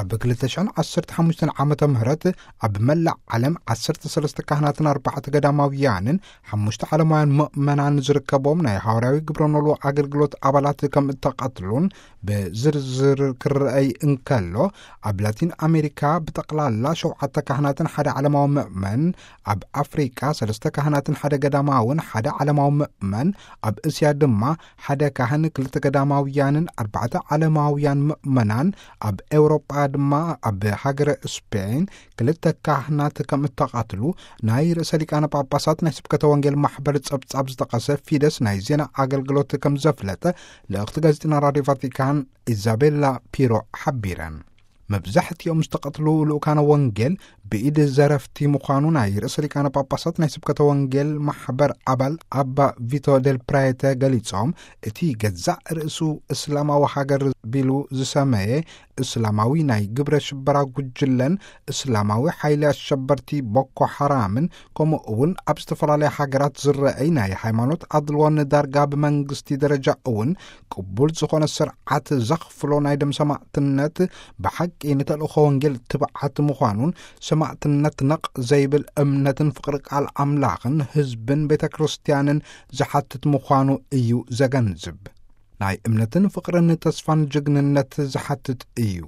ኣብ ክልተ ሽሕን ዓሰርተ ሓሙሽተን ዓመተ ምህረት ኣብ መላእ ዓለም ዓሰርተ ሰለስተ ካህናትን ኣርባዕተ ገዳማውያንን ሓሙሽተ ዓለማውያን ምእመናን ዝርከቦም ናይ ሃዋርያዊ ግብረ ኖልዎ ኣገልግሎት ኣባላት ከም እተቐትሉን ብዝርዝር ክረኣይ እንከሎ፣ ኣብ ላቲን ኣሜሪካ ብጠቕላላ ሸውዓተ ካህናትን ሓደ ዓለማዊ ምእመን፣ ኣብ ኣፍሪቃ ሰለስተ ካህናትን ሓደ ገዳማውን ሓደ ዓለማዊ ምእመን፣ ኣብ እስያ ድማ ሓደ ካህን ክልተ ገዳማውያንን ኣርባዕተ ዓለማውያን ምእመናን፣ ኣብ ኤውሮጳ ድማ ኣብ ሃገረ ስፔን ክልተ ካህናት ከም እተቐትሉ ናይ ርእሰ ሊቃነ ጳጳሳት ናይ ስብከተ ወንጌል ማሕበር ጸብጻብ ዝጠቐሰ ፊደስ ናይ ዜና ኣገልግሎት ከም ዘፍለጠ ልእኽቲ ጋዜጠና ራድዮ ቫቲካን ኢዛቤላ ፒሮ ሓቢረን። መብዛሕትኦም ዝተቐትሉ ልኡካነ ወንጌል ብኢድ ዘረፍቲ ምዃኑ ናይ ርእሰ ሊቃነ ጳጳሳት ናይ ስብከተ ወንጌል ማሕበር ኣባል ኣባ ቪቶ ደል ፕራየተ ገሊጾም፣ እቲ ገዛእ ርእሱ እስላማዊ ሃገር ቢሉ ዝሰመየ እስላማዊ ናይ ግብረ ሽበራ ጉጅለን እስላማዊ ሓይሊ ኣሸበርቲ ቦኮ ሓራምን፣ ከምኡ እውን ኣብ ዝተፈላለያ ሃገራት ዝረኣይ ናይ ሃይማኖት ኣድልዎን ዳርጋ ብመንግስቲ ደረጃ እውን ቅቡል ዝኾነ ስርዓት ዘኽፍሎ ናይ ደም ሰማዕትነት፣ ብሓቂ ንተልእኾ ወንጌል ትብዓት ምዃኑን፣ ሰማዕትነት ነቕ ዘይብል እምነትን ፍቕሪ ቃል ኣምላኽን ህዝብን ቤተ ክርስቲያንን ዝሓትት ምዃኑ እዩ ዘገንዝብ። ናይ እምነትን ፍቕርን ተስፋን ጅግንነት ዝሓትት እዩ።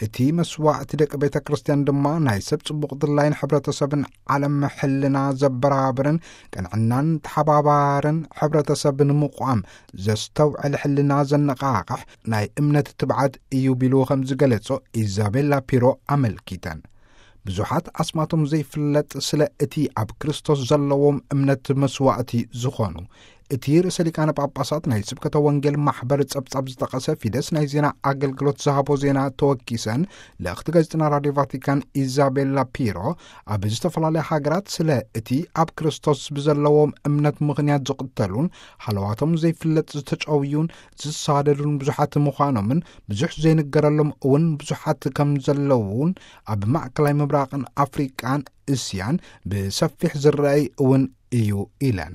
እቲ መስዋዕቲ ደቂ ቤተ ክርስቲያን ድማ ናይ ሰብ ጽቡቕ ድላይን ሕብረተሰብን ዓለም ሕልና ዘበራብርን ቅንዕናን ተሓባባርን ሕብረተሰብ ንምቋም ዘስተውዕል ሕልና ዘነቓቕሕ ናይ እምነት ትብዓት እዩ ቢሉ ከም ዝገለጾ ኢዛቤላ ፒሮ ኣመልኪተን። ብዙሓት ኣስማቶም ዘይፍለጥ ስለ እቲ ኣብ ክርስቶስ ዘለዎም እምነት መስዋዕቲ ዝኾኑ፣ እቲ ርእሰ ሊቃነ ጳጳሳት ናይ ስብከተ ወንጌል ማሕበር ጸብጻብ ዝጠቐሰ ፊደስ ናይ ዜና ኣገልግሎት ዝሃቦ ዜና ተወኪሰን ልእኽቲ ጋዜጠና ራድዮ ቫቲካን ኢዛቤላ ፒሮ፣ ኣብ ዝተፈላለያ ሃገራት ስለ እቲ ኣብ ክርስቶስ ብዘለዎም እምነት ምኽንያት ዝቕተሉን ሃለዋቶም ዘይፍለጥ ዝተጨውዩን ዝሳደዱን ብዙሓት ምዃኖምን ብዙሕ ዘይንገረሎም እውን ብዙሓት ከም ዘለዉን ኣብ ማእከላይ ምብራቕን ኣፍሪቃን እስያን ብሰፊሕ ዝረኣይ እውን እዩ ኢለን።